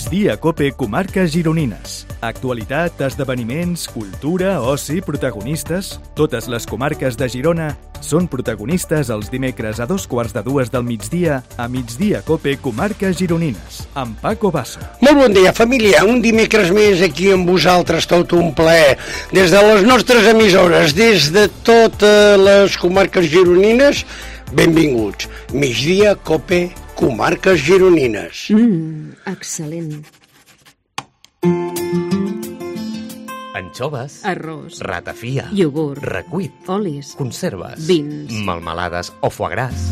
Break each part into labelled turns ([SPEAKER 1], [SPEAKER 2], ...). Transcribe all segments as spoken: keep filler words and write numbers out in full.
[SPEAKER 1] Migdia Cope Comarques Gironines. Actualitat, esdeveniments, cultura, oci, protagonistes... Totes les comarques de Girona són protagonistes els dimecres a dos quarts de dues del migdia a Migdia Cope Comarques Gironines, amb Paco Basso.
[SPEAKER 2] Molt bon dia, família. Un dimecres més aquí amb vosaltres, tot un plaer. Des de les nostres emissores, des de totes les comarques gironines, benvinguts. Migdia Cope Comarques Gironines.
[SPEAKER 3] Mmm, excel·lent.
[SPEAKER 4] Anxoves,
[SPEAKER 3] Arròs,
[SPEAKER 4] ratafia,
[SPEAKER 3] iogurt,
[SPEAKER 4] recuit,
[SPEAKER 3] olis,
[SPEAKER 4] conserves,
[SPEAKER 3] vins,
[SPEAKER 4] melmelades o foie gras.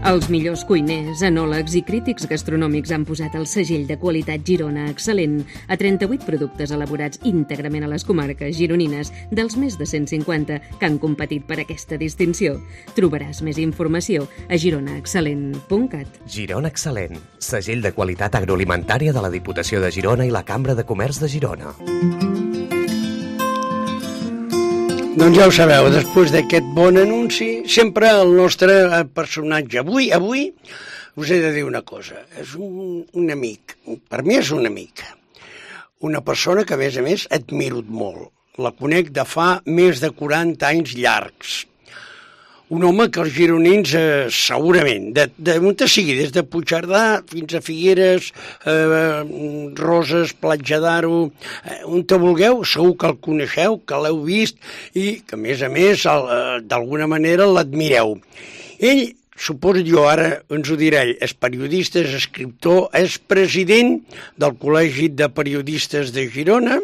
[SPEAKER 3] Els millors cuiners, enòlegs i crítics gastronòmics han posat el segell de qualitat Girona excel·lent a trenta-vuit productes elaborats íntegrament a les comarques gironines, dels més de cent cinquanta que han competit per aquesta distinció. Trobaràs més informació a girona excel·lent punt cat.
[SPEAKER 4] Girona Excel·lent, segell de qualitat agroalimentària de la Diputació de Girona i la Cambra de Comerç de Girona.
[SPEAKER 2] Doncs ja ho sabeu, després d'aquest bon anunci, sempre el nostre personatge. Avui, avui, us he de dir una cosa. És un, un amic. Per mi és un amic. Una persona que, a més a més, admiro molt. La conec de fa més de quaranta anys llargs. Un home que els gironins, eh, segurament, de, de on sigui, des de Puigcerdà fins a Figueres, eh, Roses, Platja d'Aro, eh, on te vulgueu, segur que el coneixeu, que l'heu vist i que, a més a més, el, eh, d'alguna manera l'admireu. Ell, suposo jo, ara ens ho diré, és periodista, és escriptor, és president del Col·legi de Periodistes de Girona,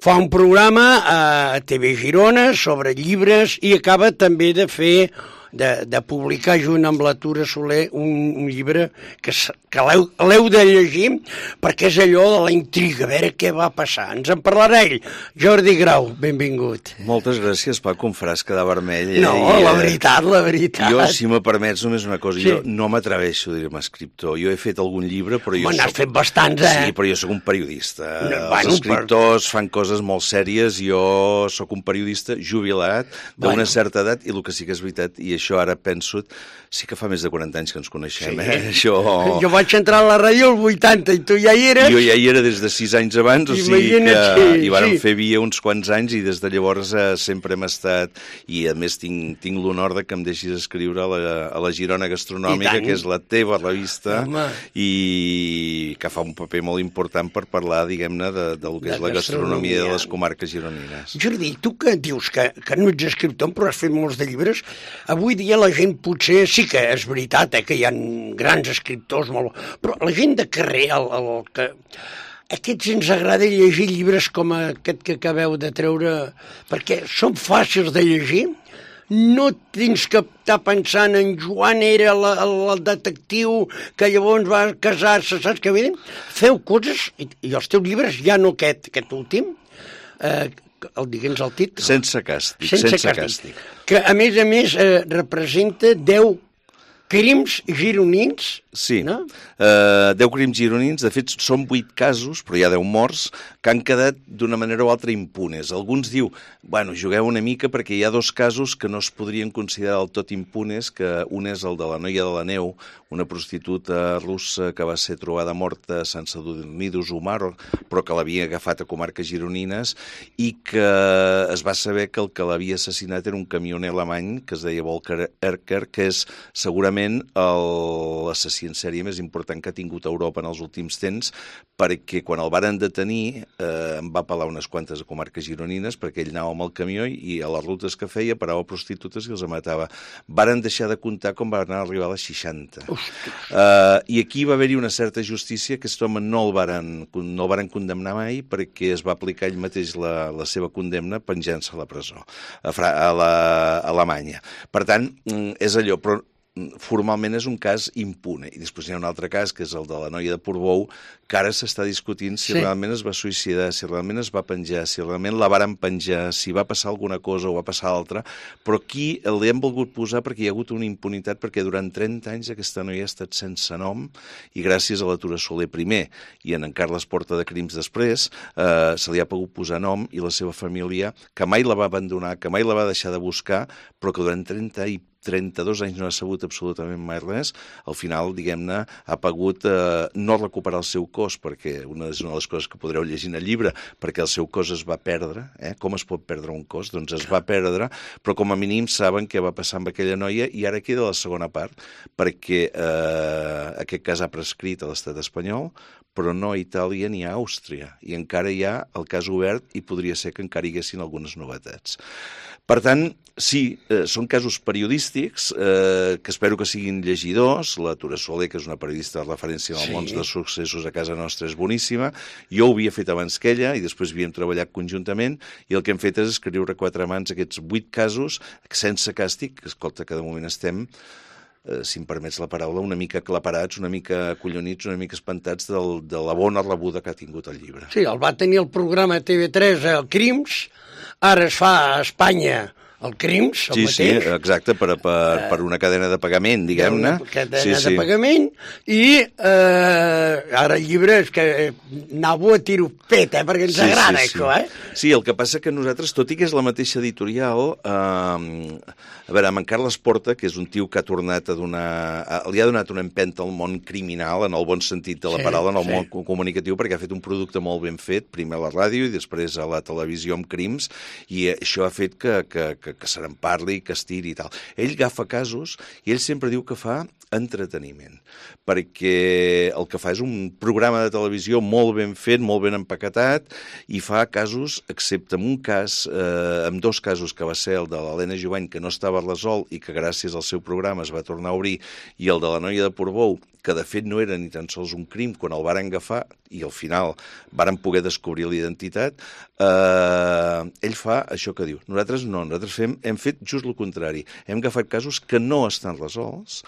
[SPEAKER 2] fa un programa a T V Girona sobre llibres i acaba també de fer, de, de publicar junt amb la Tura Soler un, un llibre que, que l'heu de llegir perquè és allò de la intriga, a veure què va passar. Ens en parlarà ell. Jordi Grau, benvingut.
[SPEAKER 5] Moltes gràcies, Paco, em faràs quedar vermell.
[SPEAKER 2] No,
[SPEAKER 5] eh?
[SPEAKER 2] la veritat, la veritat.
[SPEAKER 5] Jo, si me permets només una cosa,
[SPEAKER 2] Sí.
[SPEAKER 5] jo no m'atreveixo a dir-me escriptor. Jo he fet algun llibre, però jo
[SPEAKER 2] Home, n'has
[SPEAKER 5] soc...
[SPEAKER 2] fet bastants, eh?
[SPEAKER 5] Sí, però jo sóc un periodista.
[SPEAKER 2] No,
[SPEAKER 5] Els
[SPEAKER 2] bueno,
[SPEAKER 5] escriptors fan coses molt sèries, jo sóc un periodista jubilat d'una
[SPEAKER 2] Bueno.
[SPEAKER 5] certa edat, i el que sí que és veritat, i això ara penso, sí que fa més de quaranta anys que ens coneixem,
[SPEAKER 2] Sí.
[SPEAKER 5] eh? Això...
[SPEAKER 2] Jo vaig entrar a la ràdio al vuitanta i tu ja hi eres.
[SPEAKER 5] Jo ja hi era des de sis anys abans, o sigui que
[SPEAKER 2] Imagina't, sí,
[SPEAKER 5] hi vàrem
[SPEAKER 2] sí.
[SPEAKER 5] fer via uns quants anys i des de llavors eh, sempre hem estat, i a més tinc, tinc l'honor de que em deixis escriure a la, a la Girona Gastronòmica,
[SPEAKER 2] I tant.
[SPEAKER 5] que és la teva revista,
[SPEAKER 2] Home.
[SPEAKER 5] i que fa un paper molt important per parlar, diguem-ne, de, del que
[SPEAKER 2] De
[SPEAKER 5] és la gastronomia
[SPEAKER 2] gastronomia.
[SPEAKER 5] de les comarques gironines.
[SPEAKER 2] Jordi, tu que dius que, que no ets escriptor, però has fet molts de llibres, avui dia la gent potser sí que és veritat, eh, que hi ha grans escriptors, molt... però la gent de carrer, el, el, que... aquests ens agrada llegir llibres com aquest que acabeu de treure, perquè són fàcils de llegir, no tens que estar pensant en Joan era la, el, el detectiu que llavors va casar-se, saps què vull dir? Feu coses, i, i els teus llibres, ja no aquest, aquest últim, eh, el digue'ns el títol.
[SPEAKER 5] Sense càstig,
[SPEAKER 2] Sense,
[SPEAKER 5] sense
[SPEAKER 2] càstig.
[SPEAKER 5] càstig.
[SPEAKER 2] Que, a més a més, eh, representa deu crims gironins,
[SPEAKER 5] Sí,
[SPEAKER 2] no?
[SPEAKER 5] uh, deu crims gironins, de fet són vuit casos, però hi ha deu morts, que han quedat d'una manera o altra impunes. Alguns diu, bueno, jugueu una mica perquè hi ha dos casos que no es podrien considerar del tot impunes, que un és el de la noia de la neu, una prostituta russa que va ser trobada morta a Sant Sadurní d'Usumar, però que l'havia agafat a comarques gironines, i que es va saber que el que l'havia assassinat era un camioner alemany que es deia Volker Erker, que és segurament l'assassí en sèrie més important que ha tingut Europa en els últims temps, perquè quan el varen detenir eh, em va pelar unes quantes comarques gironines perquè ell anava amb el camió i a les rutes que feia parava prostitutes i els matava. Varen deixar de comptar com van arribar a les seixanta. Uh, I aquí va haver-hi una certa justícia, que aquest home no el varen, no el varen condemnar mai perquè es va aplicar ell mateix la, la seva condemna penjant-se a la presó, a, Fra a, la, a Alemanya. Per tant, és allò, però formalment és un cas impune. I després hi ha un altre cas, que és el de la noia de Portbou, que ara s'està discutint si
[SPEAKER 2] Sí.
[SPEAKER 5] realment es va suïcidar, si realment es va penjar, si realment la varen penjar, si va passar alguna cosa o va passar altra, però aquí li hem volgut posar perquè hi ha hagut una impunitat, perquè durant trenta anys aquesta noia ha estat sense nom, i gràcies a la Tura Soler primer i en en Carles Porta de Crims després, eh, se li ha pogut posar nom, i la seva família, que mai la va abandonar, que mai la va deixar de buscar, però que durant trenta i trenta-dos anys no ha sabut absolutament mai res, al final, diguem-ne, ha pogut eh, no recuperar el seu cos, perquè una és una de les coses que podreu llegir en el llibre, perquè el seu cos es va perdre. Eh? Com es pot perdre un cos? Doncs es va perdre, però com a mínim saben què va passar amb aquella noia, i ara queda la segona part, perquè eh, aquest cas ha prescrit a l'estat espanyol, però no a Itàlia ni a Àustria, i encara hi ha el cas obert i podria ser que encara hi haguessin algunes novetats. Per tant, sí, eh, són casos periodístics eh, que espero que siguin llegidors. La Tura Soler, que és una periodista de referència en el sí. món dels successos a casa nostra, és boníssima. Jo ho havia fet abans que ella i després havíem treballat conjuntament i el que hem fet és escriure a quatre mans aquests vuit casos sense càstig, que escolta, que de moment estem... Eh, si em permets la paraula, una mica aclaparats, una mica acollonits, una mica espantats del, de la bona rebuda que ha tingut el llibre.
[SPEAKER 2] Sí, el va tenir el programa T V tres, el Crims, ara es fa a Espanya el Crims, el
[SPEAKER 5] sí,
[SPEAKER 2] mateix.
[SPEAKER 5] Sí, sí, exacte, per, per, per una cadena de pagament, diguem-ne.
[SPEAKER 2] Una cadena
[SPEAKER 5] sí,
[SPEAKER 2] de
[SPEAKER 5] sí.
[SPEAKER 2] pagament, i eh, ara el llibre és que anava a tiro pet, eh, perquè ens
[SPEAKER 5] sí,
[SPEAKER 2] agrada
[SPEAKER 5] sí, sí.
[SPEAKER 2] això, eh?
[SPEAKER 5] Sí, el que passa que nosaltres, tot i que és la mateixa editorial, eh, a veure, amb en Carles Porta, que és un tio que ha tornat a donar... li ha donat una empenta al món criminal, en el bon sentit de la
[SPEAKER 2] sí,
[SPEAKER 5] paraula, en el
[SPEAKER 2] sí.
[SPEAKER 5] món comunicatiu, perquè ha fet un producte molt ben fet, primer a la ràdio i després a la televisió amb crims, i això ha fet que, que, que, que se n'en parli, que es tiri i tal. Ell agafa casos i ell sempre diu que fa entreteniment, perquè el que fa és un programa de televisió molt ben fet, molt ben empaquetat, i fa casos, excepte en un cas, eh, en dos casos, que va ser el de l'Helena Jovany, que no estava resolt i que gràcies al seu programa es va tornar a obrir, i el de la noia de Portbou, que de fet no era ni tan sols un crim, quan el varen agafar i al final varen poder descobrir l'identitat, eh, ell fa això que diu. Nosaltres no, nosaltres fem, hem fet just el contrari. Hem agafat casos que no estan resolts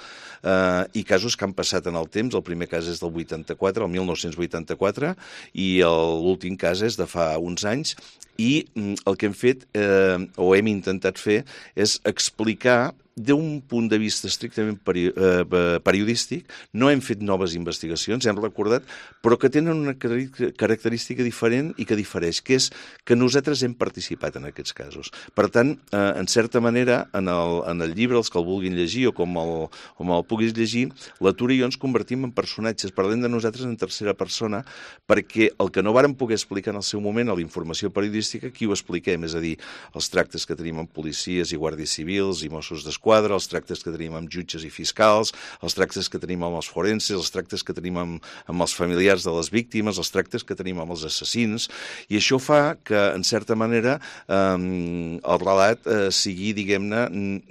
[SPEAKER 5] eh, i casos que han passat en el temps. El primer cas és del vuitanta-quatre, el mil nou-cents vuitanta-quatre, i l'últim cas és de fa uns anys, i el que hem fet, eh, o hem intentat fer, és explicar d'un punt de vista estrictament peri eh, periodístic. No hem fet noves investigacions, hem recordat, però que tenen una característica diferent i que difereix, que és que nosaltres hem participat en aquests casos. Per tant, eh, en certa manera, en el, en el llibre, els que el vulguin llegir o com el, com el puguis llegir, la Tura i jo ens convertim en personatges, parlem de nosaltres en tercera persona, perquè el que no vàrem poder explicar en el seu moment a la informació periodística, aquí ho expliquem, és a dir, els tractes que tenim amb policies i guàrdies civils i Mossos d'Esquadra, quadre, els tractes que tenim amb jutges i fiscals, els tractes que tenim amb els forenses, els tractes que tenim amb, amb els familiars de les víctimes, els tractes que tenim amb els assassins, i això fa que, en certa manera, eh, el relat eh, sigui, diguem-ne,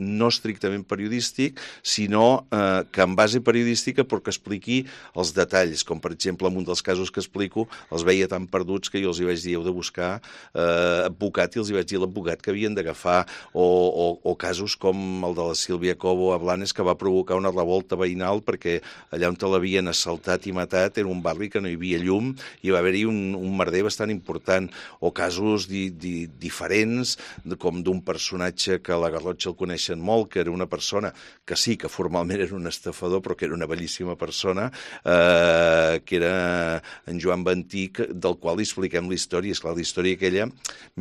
[SPEAKER 5] no estrictament periodístic, sinó eh, que en base periodística però que expliqui els detalls, com per exemple en un dels casos que explico, els veia tan perduts que jo els hi vaig dir, heu de buscar eh, advocat, i els hi vaig dir l'advocat que havien d'agafar, o, o, o casos com el de la Sílvia Cobo a Blanes, que va provocar una revolta veïnal perquè allà on te l'havien assaltat i matat era un barri que no hi havia llum i va haver-hi un, un merder bastant important, o casos di, di, diferents, de, com d'un personatge que a la Garrotxa el coneixen molt, que era una persona que sí, que formalment era un estafador, però que era una bellíssima persona, eh, que era en Joan Ventic, del qual li expliquem la història. Esclar, la història aquella,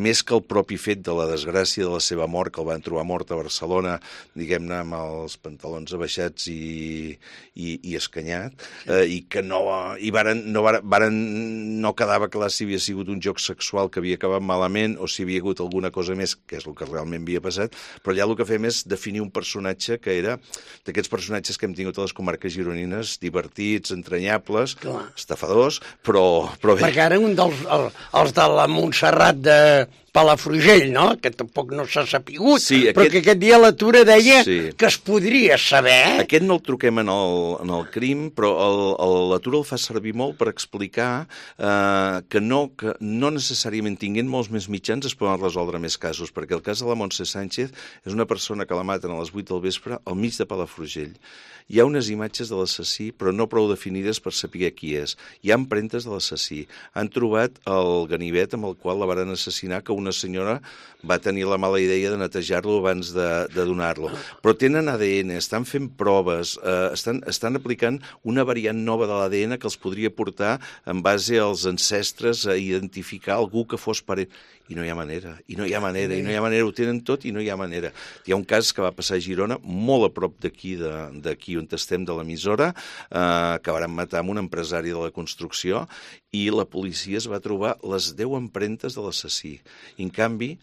[SPEAKER 5] més que el propi fet de la desgràcia de la seva mort, que el van trobar mort a Barcelona, diguem-ne, amb els pantalons abaixats i, i, i escanyat, eh, i que no, i varen, no, varen, no quedava clar si havia sigut un joc sexual que havia acabat malament o si havia hagut alguna cosa més, que és el que realment havia passat, però allà el que fem és definir un personatge que era d'aquests personatges que hem tingut a les comarques gironines, divertits, entranyables, clar, estafadors, però, però bé.
[SPEAKER 2] Perquè ara un dels el, els de la Montserrat de Palafrugell, no?, que tampoc no s'ha sapigut, sí, aquest... però que aquest dia la Tura deia sí. que es podria saber.
[SPEAKER 5] Aquest no el truquem en el, en el crim, però el, el, la Tura el fa servir molt per explicar eh, que, no, que no necessàriament tinguent molts més mitjans es poden resoldre més casos, perquè el cas de la Montse Sánchez és una persona que la maten a les vuit del vespre al mig de Palafrugell. Hi ha unes imatges de l'assassí, però no prou definides per saber qui és. Hi ha empremtes de l'assassí. Han trobat el ganivet amb el qual la varen assassinar, que una senyora va tenir la mala idea de netejar-lo abans de, de donar-lo. Però tenen A D N, estan fent proves, eh, estan, estan aplicant una variant nova de l'A D N que els podria portar en base als ancestres a identificar algú que fos parent. i no hi ha manera, i no hi ha manera, i no hi ha manera, ho tenen tot i no hi ha manera. Hi ha un cas que va passar a Girona, molt a prop d'aquí, d'aquí on estem, de l'emissora, eh, que van matar amb un empresari de la construcció, i la policia es va trobar les deu empremtes de l'assassí. I, en canvi,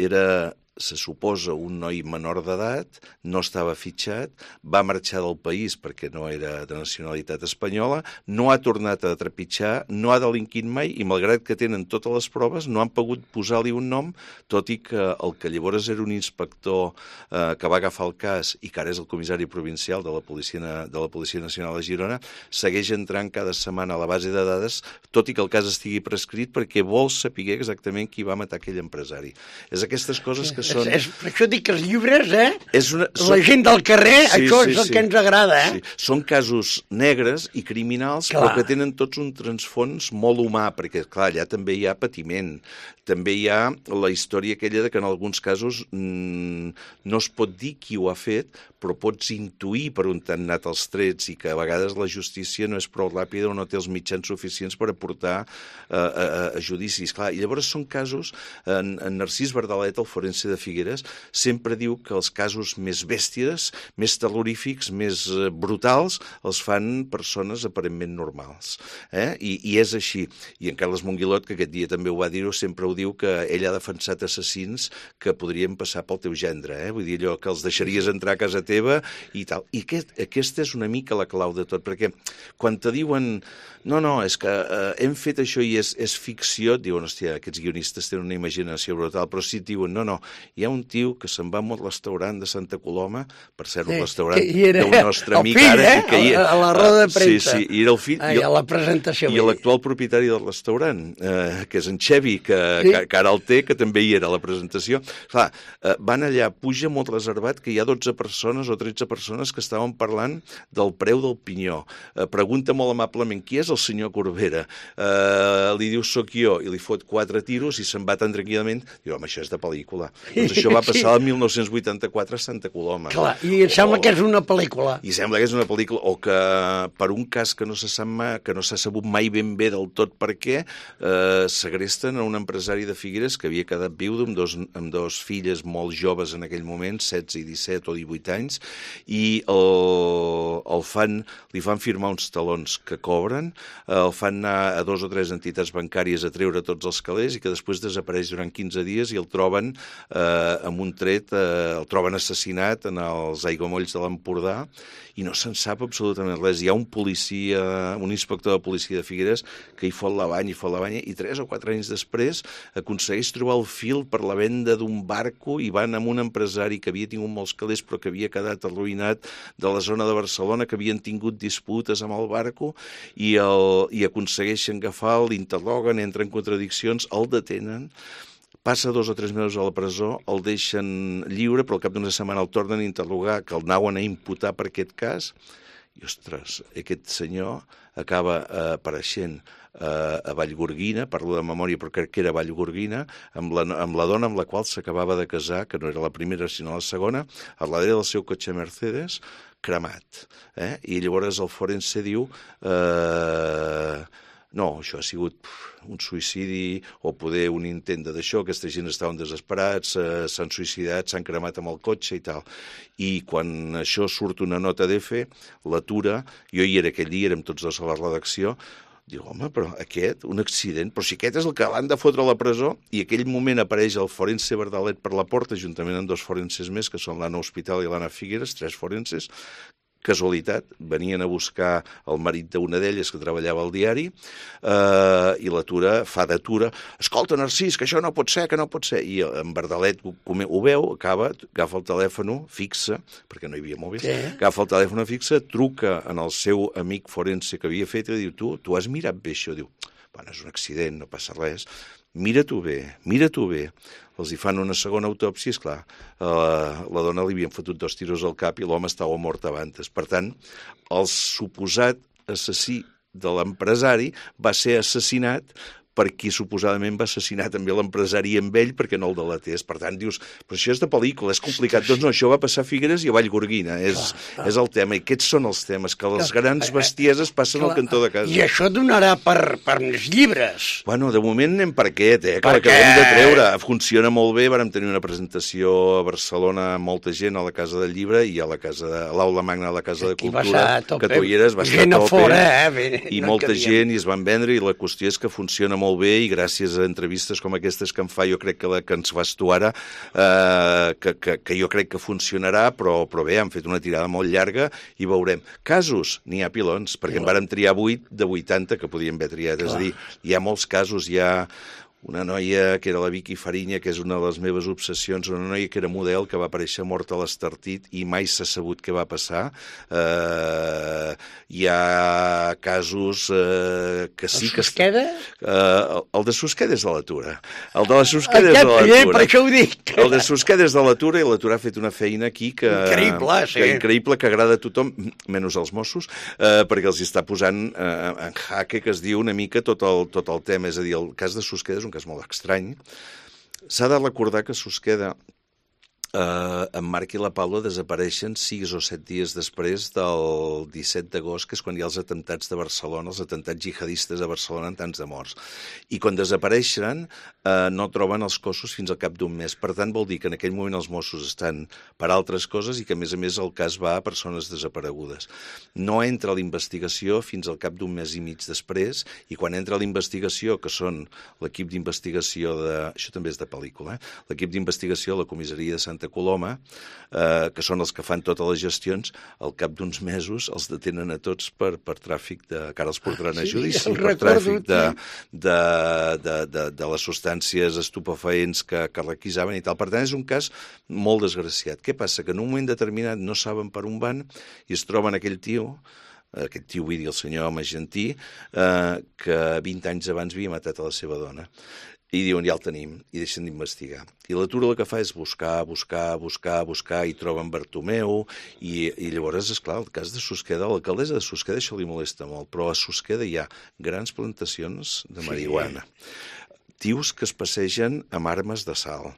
[SPEAKER 5] era, se suposa, un noi menor d'edat, no estava fitxat, va marxar del país perquè no era de nacionalitat espanyola, no ha tornat a trepitjar, no ha delinquit mai i, malgrat que tenen totes les proves, no han pogut posar-li un nom, tot i que el que llavors era un inspector eh, que va agafar el cas i que ara és el comissari provincial de la Policia, de la Policia Nacional de Girona, segueix entrant cada setmana a la base de dades, tot i que el cas estigui prescrit, perquè vol saber exactament qui va matar aquell empresari. És aquestes coses que són...
[SPEAKER 2] És, és, per això dic que els llibres, eh?
[SPEAKER 5] És una...
[SPEAKER 2] La gent del carrer, sí, això sí, és el
[SPEAKER 5] sí.
[SPEAKER 2] que ens agrada, eh?
[SPEAKER 5] Sí. Són casos negres i criminals, clar, però que tenen tots un transfons molt humà, perquè, clar, allà també hi ha patiment. També hi ha la història aquella de que en alguns casos mmm, no es pot dir qui ho ha fet, però pots intuir per on t'han anat els trets i que a vegades la justícia no és prou ràpida o no té els mitjans suficients per aportar uh, a, a judicis. Clar, i llavors són casos, en, en Narcís Verdalet, el forense de Figueres, sempre diu que els casos més bèsties, més terrorífics, més brutals, els fan persones aparentment normals. Eh? I, I és així. I en Carles Monguilot, que aquest dia també ho va dir-ho, sempre ho diu que ell ha defensat assassins que podrien passar pel teu gendre. Eh? Vull dir, allò que els deixaries entrar a casa teva i tal. I aquest, aquesta és una mica la clau de tot, perquè quan te diuen no, no, és que eh, hem fet això i és, és ficció, et diuen, hòstia, aquests guionistes tenen una imaginació brutal, però si et diuen, no, no, hi ha un tio que se'n va a un restaurant de Santa Coloma, per cert, un sí, restaurant del nostre amic
[SPEAKER 2] fill,
[SPEAKER 5] ara,
[SPEAKER 2] eh?
[SPEAKER 5] que hi,
[SPEAKER 2] a la roda de premsa.
[SPEAKER 5] Sí, sí, i era el fill.
[SPEAKER 2] Ai,
[SPEAKER 5] i,
[SPEAKER 2] a la presentació.
[SPEAKER 5] I l'actual propietari del restaurant, eh, que és en Xevi, que, sí, que, que ara el té, que també hi era a la presentació. Clar, eh, van allà, puja molt reservat, que hi ha dotze persones o tretze persones que estaven parlant del preu del pinyó. Eh, pregunta molt amablement, qui és el senyor Corbera? Uh, li diu, soc jo, i li fot quatre tiros i se'n va tan tranquil·lament. Diu, home, això és de pel·lícula. Doncs això va passar el mil nou-cents vuitanta-quatre a Santa Coloma.
[SPEAKER 2] Clar, i em sembla o... que és una pel·lícula.
[SPEAKER 5] I sembla que és una pel·lícula, o que per un cas que no se sap mai, que no s'ha sabut mai ben bé del tot per què, eh, segresten a un empresari de Figueres que havia quedat viudo amb dos, amb dos filles molt joves en aquell moment, setze i disset o divuit anys, i el, el fan, li fan firmar uns talons que cobren, el fan anar a dos o tres entitats bancàries a treure tots els calés i que després desapareix durant quinze dies i el troben eh, amb un tret, eh, el troben assassinat en els aiguamolls de l'Empordà i no se'n sap absolutament res. Hi ha un policia, un inspector de policia de Figueres que hi fot la banya, hi fot la banya i tres o quatre anys després aconsegueix trobar el fil per la venda d'un barco i van amb un empresari que havia tingut molts calés però que havia quedat arruïnat de la zona de Barcelona, que havien tingut disputes amb el barco i, el, i aconsegueixen agafar, l'interroguen, entra en contradiccions, el detenen, passa dos o tres mesos a la presó, el deixen lliure, però al cap d'una setmana el tornen a interrogar, que el anaven a imputar per aquest cas, i, ostres, aquest senyor acaba eh, apareixent eh, a Vallgorguina, parlo de memòria però crec que era Vallgorguina, amb la, amb la dona amb la qual s'acabava de casar, que no era la primera sinó la segona, a darrere del seu cotxe Mercedes, cremat. Eh? I llavors el forense diu... Eh, no, això ha sigut un suïcidi o poder un intent d'això, aquesta gent estaven desesperats, eh, s'han suïcidat, s'han cremat amb el cotxe i tal. I quan això surt una nota d'Efe, l'atura, jo hi era aquell dia, érem tots dos a la redacció, diu, home, però aquest, un accident, però si aquest és el que l'han de fotre a la presó, i aquell moment apareix el forense Verdalet per la porta, juntament amb dos forenses més, que són l'Anna Hospital i l'Anna Figueres, tres forenses, casualitat, venien a buscar el marit d'una d'elles que treballava al diari eh, i l'atura fa d'atura, escolta Narcís, que això no pot ser, que no pot ser, i en Verdalet ho, ho veu, acaba, agafa el telèfon fixa, perquè no hi havia mòbils, sí. Agafa el telèfon fixa, truca en el seu amic forense que havia fet i diu, tu, tu has mirat bé això? Diu, bueno, és un accident, no passa res, mira-t'ho bé, mira-t'ho bé. Els hi fan una segona autòpsia, esclar, eh, la dona li havien fotut dos tiros al cap i l'home estava mort abans. Per tant, el suposat assassí de l'empresari va ser assassinat per qui suposadament va assassinar també l'empresari amb ell perquè no el delatés. Per tant, dius, però això és de pel·lícula, és complicat. Doncs no, això va passar a Figueres i a Vallgorguina, és, és el tema. I aquests són els temes, que les grans bestieses passen al cantó de casa.
[SPEAKER 2] I això donarà per, per més llibres.
[SPEAKER 5] Bueno, de moment anem per aquest, eh, que l'acabem de treure. Funciona molt bé, vàrem tenir una presentació a Barcelona amb molta gent a la Casa del Llibre i a la casa de, a l'Aula Magna de la Casa de Cultura, que tu hi eres, va estar a tope,
[SPEAKER 2] fora, eh? Bé,
[SPEAKER 5] i
[SPEAKER 2] no
[SPEAKER 5] molta gent, i es van vendre, i la qüestió és que funciona molt bé, i gràcies a entrevistes com aquestes que em fa, jo crec que la que ens fas tu ara, eh, que, que, que jo crec que funcionarà, però, però bé, han fet una tirada molt llarga i veurem. Casos, n'hi ha pilons, perquè en vàrem triar vuit de vuitanta que podíem haver triat, és a dir, hi ha molts casos, hi ha una noia que era la Vicky Fariña, que és una de les meves obsessions, una noia que era model, que va aparèixer morta a l'Estartit i mai s'ha sabut què va passar. Eh, hi ha casos eh, que sí que...
[SPEAKER 2] El Susqueda?
[SPEAKER 5] Eh, el de Susqueda és de l'Atura. El de la Susqueda és de l'Atura.
[SPEAKER 2] Eh, per això ho dic.
[SPEAKER 5] El de Susqueda és de l'Atura, i l'Atura ha fet una feina aquí que...
[SPEAKER 2] Increïble, sí.
[SPEAKER 5] Que increïble, que agrada a tothom, menys als Mossos, eh, perquè els està posant eh, en jaque, que es diu una mica tot el, tot el tema. És a dir, el cas de Susqueda és un cas molt estrany. S'ha de recordar que Susqueda, eh, en Marc i la Paula desapareixen sis o set dies després del disset d'agost, que és quan hi ha els atemptats de Barcelona, els atemptats jihadistes de Barcelona, amb tants de morts. I quan desapareixen eh, no troben els cossos fins al cap d'un mes. Per tant, vol dir que en aquell moment els Mossos estan per altres coses i que, a més a més, el cas va a persones desaparegudes. No entra a la investigació fins al cap d'un mes i mig després, i quan entra a la investigació, que són l'equip d'investigació de... Això també és de pel·lícula, eh? L'equip d'investigació de la comissaria de Santa Coloma, eh, que són els que fan totes les gestions, al cap d'uns mesos els detenen a tots per, per tràfic de... que ara els portaran a judici, sí, per tràfic de, de, de, de, de les substàncies estupefaents que, que requisaven i tal. Per tant, és un cas molt desgraciat. Què passa? Que en un moment determinat no saben per on van i es troben aquell tio, aquest tio, vull dir, el senyor Magentí, eh, que vint anys abans havia matat a la seva dona. I diuen, ja el tenim, i deixen d'investigar. I l'Atura el que fa és buscar, buscar, buscar, buscar, i troben Bartomeu, i, i llavors, esclar, el cas de Susqueda, l'alcaldessa de Susqueda això li molesta molt, però a Susqueda hi ha grans plantacions de marihuana. Sí. Tios que es passegen amb armes de sal.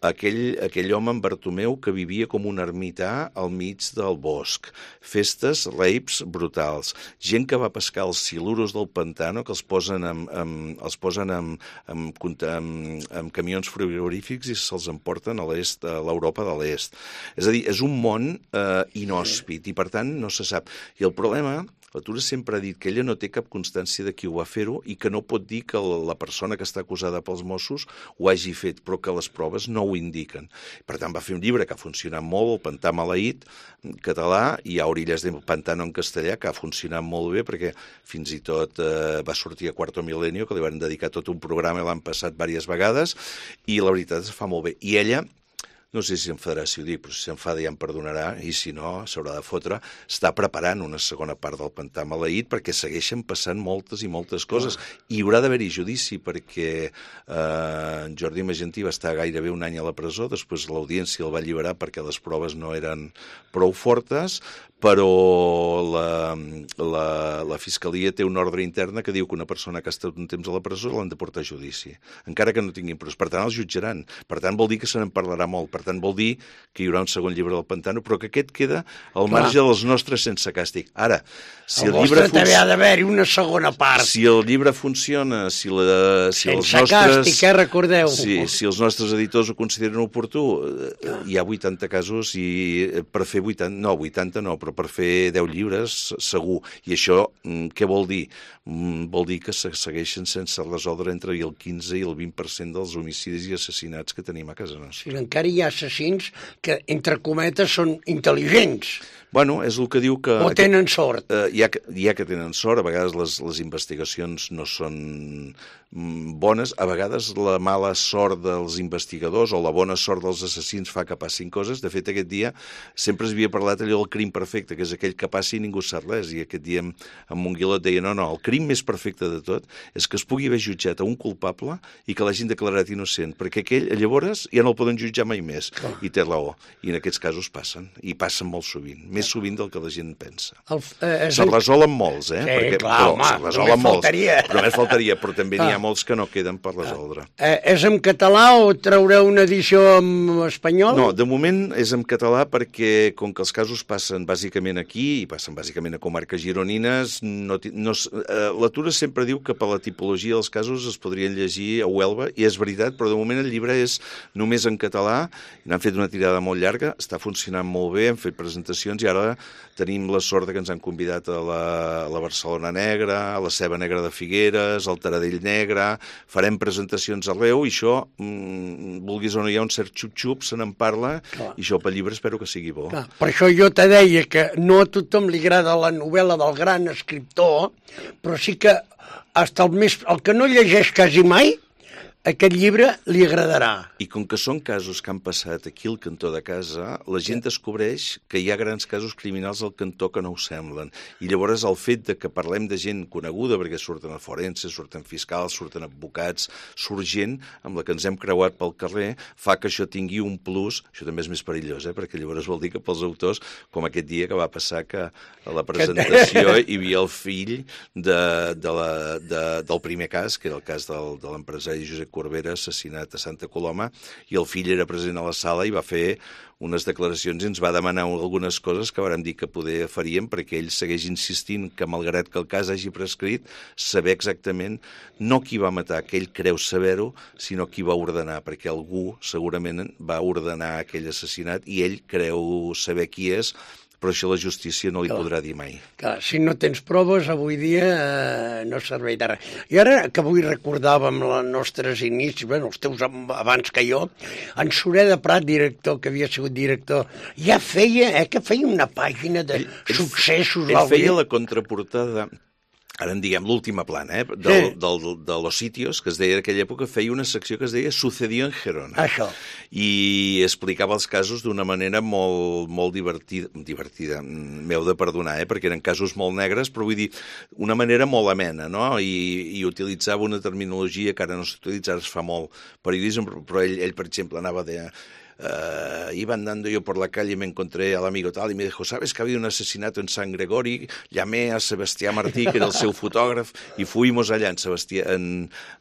[SPEAKER 5] Aquell, aquell home, en Bartomeu, que vivia com un ermità al mig del bosc. Festes, rapes brutals. Gent que va pescar els siluros del pantano, que els posen amb, amb, els posen amb, amb, amb, amb camions frigorífics i se'ls emporten a l'est, a l'Europa de l'est. És a dir, és un món eh, inhòspit i, per tant, no se sap. I el problema... L'Atura sempre ha dit que ella no té cap constància de qui ho va fer-ho i que no pot dir que la persona que està acusada pels Mossos ho hagi fet, però que les proves no ho indiquen. Per tant, va fer un llibre que ha funcionat molt, El pantà maleït, en català, i hi ha Orillas del Pantano en castellà, que ha funcionat molt bé, perquè fins i tot eh, va sortir a Quarto Milenio, que li van dedicar tot un programa i l'han passat diverses vegades, i la veritat es fa molt bé. I ella... No sé si s'enfadarà si ho dic, però si s'enfada ja em perdonarà, i si no, s'haurà de fotre, està preparant una segona part del pantà maleït perquè segueixen passant moltes i moltes coses. I hi haurà d'haver-hi judici perquè eh, Jordi Magentí va estar gairebé un any a la presó, després l'audiència el va alliberar perquè les proves no eren prou fortes, però la, la, la Fiscalia té una ordre interna que diu que una persona que ha estat un temps a la presó l'han de portar a judici, encara que no tinguin proves. Per tant, els jutjaran. Per tant, vol dir que se n'en parlarà molt. Per tant, vol dir que hi haurà un segon llibre del Pantano, però que aquest queda al marge dels nostres sense càstig. Ara, si el, el llibre...
[SPEAKER 2] també ha d'haver-hi una segona part.
[SPEAKER 5] Si el llibre funciona, si, la, si els
[SPEAKER 2] nostres... Sense càstig, eh, recordeu.
[SPEAKER 5] Si, si els nostres editors ho consideren oportú, hi ha vuitanta casos i per fer vuitanta... No, vuitanta no, però per fer deu llibres, segur. I això, què vol dir? Vol dir que se segueixen sense resoldre entre el quinze i el vint per cent dels homicidis i assassinats que tenim a casa nostra.
[SPEAKER 2] Sí, encara hi ha assassins que, entre cometes, són intel·ligents.
[SPEAKER 5] Bueno, és el que diu que...
[SPEAKER 2] O tenen sort.
[SPEAKER 5] Eh, hi, ha, hi ha que tenen sort, a vegades les, les investigacions no són bones, a vegades la mala sort dels investigadors o la bona sort dels assassins fa que passin coses. De fet, aquest dia sempre s'havia parlat allò del crim perfecte, perfecte, que és aquell que passi i ningú sap res, i aquest dia en Monguilot deia, no, no, el crim més perfecte de tot és que es pugui haver jutjat a un culpable i que l'hagin declarat innocent, perquè aquell, llavors, ja no el poden jutjar mai més, oh. i té raó, i en aquests casos passen, i passen molt sovint, més sovint del que la gent pensa. El, eh, se'n resolen molts, eh?
[SPEAKER 2] Sí,
[SPEAKER 5] perquè,
[SPEAKER 2] clar,
[SPEAKER 5] però,
[SPEAKER 2] home,
[SPEAKER 5] se'n resolen molts,
[SPEAKER 2] faltaria.
[SPEAKER 5] però més faltaria, però també n'hi ha molts que no queden per resoldre.
[SPEAKER 2] Eh, és en català o traureu una edició en espanyol?
[SPEAKER 5] No, de moment és en català perquè, com que els casos passen bàsicament aquí, i passen bàsicament a comarques gironines, no, no, eh, la Tura sempre diu que per la tipologia dels casos es podrien llegir a Huelva, i és veritat, però de moment el llibre és només en català, n'han fet una tirada molt llarga, està funcionant molt bé, hem fet presentacions, i ara tenim la sort que ens han convidat a la, a la Barcelona Negra, a la Ceba Negra de Figueres, al Taradell Negre, farem presentacions arreu, i això, mmm, vulguis o no, hi ha un cert xup-xup, se n'en parla, clar. I això pel llibre espero que sigui bo.
[SPEAKER 2] Clar. Per això jo te deia que no a tothom li agrada la novel·la del gran escriptor, però sí que hasta el, més, el que no llegeix quasi mai, aquest llibre li agradarà.
[SPEAKER 5] I com que són casos que han passat aquí al cantó de casa, la gent descobreix que hi ha grans casos criminals al cantó que no ho semblen. I llavors el fet de que parlem de gent coneguda, perquè surten a forenses, surten fiscals, surten advocats, surt gent amb la que ens hem creuat pel carrer, fa que això tingui un plus. Això també és més perillós, eh? Perquè llavors vol dir que pels autors, com aquest dia que va passar que a la presentació hi havia el fill de, de la, de, del primer cas, que era el cas del, de l'empresari Josep Corbera, assassinat a Santa Coloma, i el fill era present a la sala i va fer unes declaracions i ens va demanar algunes coses que vàrem dir que poder faríem, perquè ell segueix insistint que, malgrat que el cas hagi prescrit, saber exactament no qui va matar, que ell creu saber-ho, sinó qui va ordenar, perquè algú segurament va ordenar aquell assassinat i ell creu saber qui és, però això la justícia no li clar. Podrà dir mai.
[SPEAKER 2] Clar, si no tens proves, avui dia eh, no serveix de res. I ara que avui recordàvem els nostres inicis, bueno, els teus abans que jo, en Sureda Prat, director, que havia sigut director, ja feia, eh, que feia una pàgina de ell, successos.
[SPEAKER 5] Ell, ell feia la contraportada, ara en diguem l'última plana, eh, del, sí. del, de Los Sitios, que es deia en aquella època, feia una secció que es deia Sucedió en Gerona.
[SPEAKER 2] Això.
[SPEAKER 5] I explicava els casos d'una manera molt, molt divertida, divertida, m'heu de perdonar, eh, perquè eren casos molt negres, però vull dir, una manera molt amena, no? I, i utilitzava una terminologia que ara no s'utilitza, ara es fa molt periodisme, però ell, ell per exemple, anava de... Uh, iba andando yo por la calle y me encontré al amigo tal y me dijo, ¿sabes que ha habido un asesinato en San Gregorio? Llamé a Sebastián Martí, que era el seu fotògraf, i fuimos allà en Sebastià, en,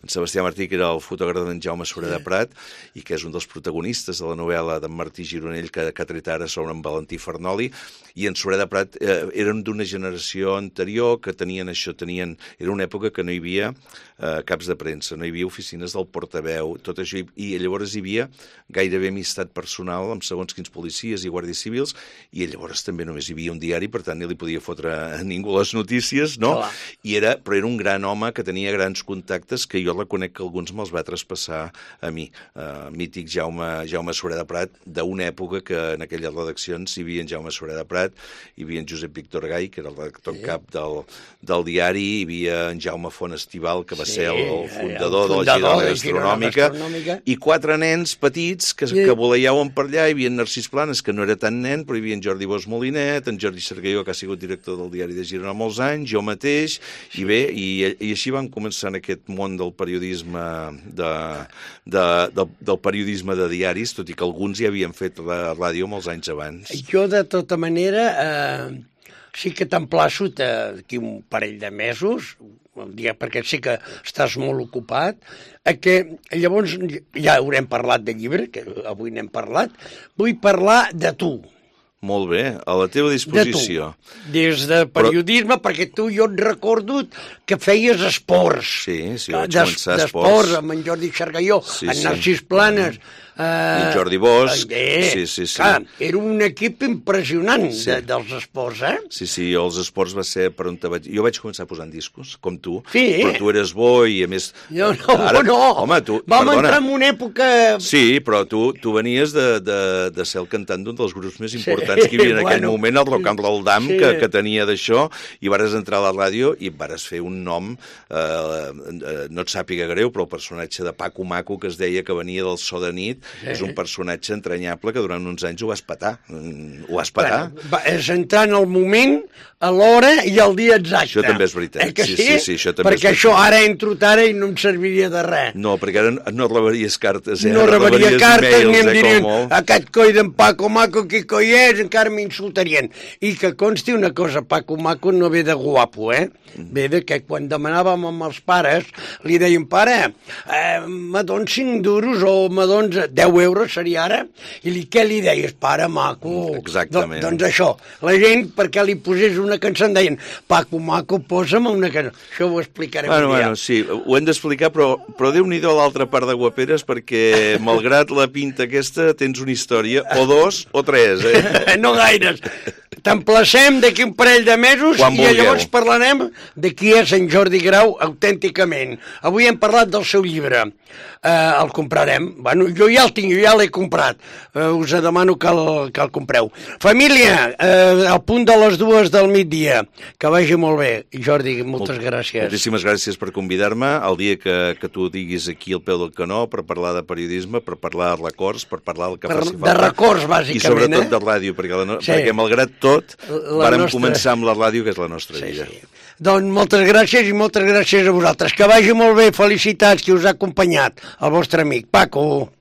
[SPEAKER 5] en Sebastià Martí, que era el fotògraf d'en Jaume Sureda Prat, i que és un dels protagonistes de la novel·la d'en Martí Gironell, que, que ha tret ara sobre en Valentí Farnoli, i en Sureda Prat eh, eren d'una generació anterior que tenien això, tenien... Era una època que no hi havia eh, caps de premsa, no hi havia oficines del portaveu, tot això, i, i llavors hi havia gairebé amistat personal amb segons quins policies i guàrdies civils, i llavors també només hi havia un diari, per tant, no li podia fotre a ningú les notícies, no? Clar. I era, però era un gran home que tenia grans contactes, que jo reconec que alguns me'ls va traspassar a mi. Uh, mític Jaume, Jaume Sureda Prat, d'una època que en aquelles redaccions hi havia en Jaume Sureda Prat, hi havia en Josep Víctor Gai, que era el redactor sí. cap del, del diari, hi havia en Jaume Font Estival, que va sí, ser el, el fundador, el fundador de la Girona Gastronòmica, Gastronòmica, i quatre nens petits que, sí. que voleiaven per allà. Hi havia en Narcís Planes, que no era tan nen, però hi havia en Jordi Bosch Molinet, en Jordi Sergueió, que ha sigut director del Diari de Girona molts anys, jo mateix, i bé, i, i així vam començar en aquest món del periodisme de, de, de, del periodisme de diaris, tot i que alguns ja havien fet la ràdio molts anys abans.
[SPEAKER 2] Jo, de tota manera, eh, sí que t'emplaço d'aquí un parell de mesos, perquè sé que estàs molt ocupat, que llavors ja haurem parlat de llibre, que avui n'hem parlat, vull parlar de tu.
[SPEAKER 5] Molt bé, a la teva disposició.
[SPEAKER 2] De tu, des de periodisme, Però... perquè tu jo et recordo que feies esports.
[SPEAKER 5] Sí, sí, vaig començar esports.
[SPEAKER 2] D'esports, amb en Jordi Sergueió, sí, en Narcís sí. Planes...
[SPEAKER 5] Uh, I en Jordi Bosch.
[SPEAKER 2] Eh,
[SPEAKER 5] sí, sí, sí.
[SPEAKER 2] Clar, era un equip impressionant sí. de, dels esports, eh?
[SPEAKER 5] Sí, sí, els esports va ser per on te vaig... Jo vaig començar posant discos, com tu,
[SPEAKER 2] sí.
[SPEAKER 5] però tu eres bo i a més...
[SPEAKER 2] No, no, Ara... no.
[SPEAKER 5] Home, tu...
[SPEAKER 2] Vam
[SPEAKER 5] Perdona.
[SPEAKER 2] entrar en una època...
[SPEAKER 5] Sí, però tu, tu venies de, de, de ser el cantant d'un dels grups més importants sí. que hi havia en aquell bueno. moment, el Rock and Roll Dam, sí. que, que tenia d'això, i vares entrar a la ràdio i vares fer un nom, eh, no et sàpiga greu, però el personatge de Paco Maco, que es deia que venia del So de nit, sí. és un personatge entranyable que durant uns anys ho vas petar. Ho vas petar.
[SPEAKER 2] Bueno, va, és entrar en el moment, a l'hora i al dia exacte.
[SPEAKER 5] Això també és veritat.
[SPEAKER 2] Eh que
[SPEAKER 5] sí,
[SPEAKER 2] sí?
[SPEAKER 5] sí, sí, això també
[SPEAKER 2] perquè
[SPEAKER 5] és
[SPEAKER 2] això ara entro ara i no em serviria de res.
[SPEAKER 5] No, perquè ara no rebaries cartes, eh?
[SPEAKER 2] No rebaria cartes, ni em
[SPEAKER 5] eh,
[SPEAKER 2] dirien aquest coi d'en Paco Maco, qui coi és, encara m'insultarien. I que consti una cosa, Paco Maco no ve de guapo, eh? Ve de que quan demanàvem amb els pares, li deien, pare, eh, me dons cinc duros o me dons deu euros, seria ara? I li, què li deies? Pare Maco.
[SPEAKER 5] Exactament.
[SPEAKER 2] Do, doncs això, la gent, perquè li posés una cançó, em deien, Paco Maco, posa'm una cançó. Això ho explicarem
[SPEAKER 5] bueno,
[SPEAKER 2] un dia.
[SPEAKER 5] Bueno, sí, ho hem d'explicar, però, però Déu-n'hi-do a l'altra part de Guaperes, perquè, malgrat la pinta aquesta, tens una història, o dos, o tres, eh?
[SPEAKER 2] No gaires. T'emplacem d'aquí un parell de mesos
[SPEAKER 5] Quan
[SPEAKER 2] i
[SPEAKER 5] vulgueu.
[SPEAKER 2] llavors parlarem de qui és en Jordi Grau autènticament. Avui hem parlat del seu llibre. Eh, el comprarem. Bueno, jo ja el tinc, jo ja l'he comprat. Eh, us demano que el, que el compreu. Família, eh, al punt de les dues del migdia. Que vagi molt bé. Jordi, moltes
[SPEAKER 5] Molt,
[SPEAKER 2] gràcies.
[SPEAKER 5] Moltíssimes gràcies per convidar-me. El dia que, que tu diguis aquí al peu del canó per parlar de periodisme, per parlar de records, per parlar del que
[SPEAKER 2] Per,
[SPEAKER 5] faci
[SPEAKER 2] de
[SPEAKER 5] falta.
[SPEAKER 2] records, bàsicament.
[SPEAKER 5] I sobretot
[SPEAKER 2] eh?
[SPEAKER 5] de ràdio, perquè, la no...
[SPEAKER 2] Sí.
[SPEAKER 5] perquè malgrat tot
[SPEAKER 2] La
[SPEAKER 5] vàrem
[SPEAKER 2] nostra...
[SPEAKER 5] començar amb la ràdio, que és la nostra
[SPEAKER 2] Sí,
[SPEAKER 5] vida.
[SPEAKER 2] sí. Doncs moltes gràcies i moltes gràcies a vosaltres. Que vagi molt bé, felicitats, qui us ha acompanyat, el vostre amic Paco.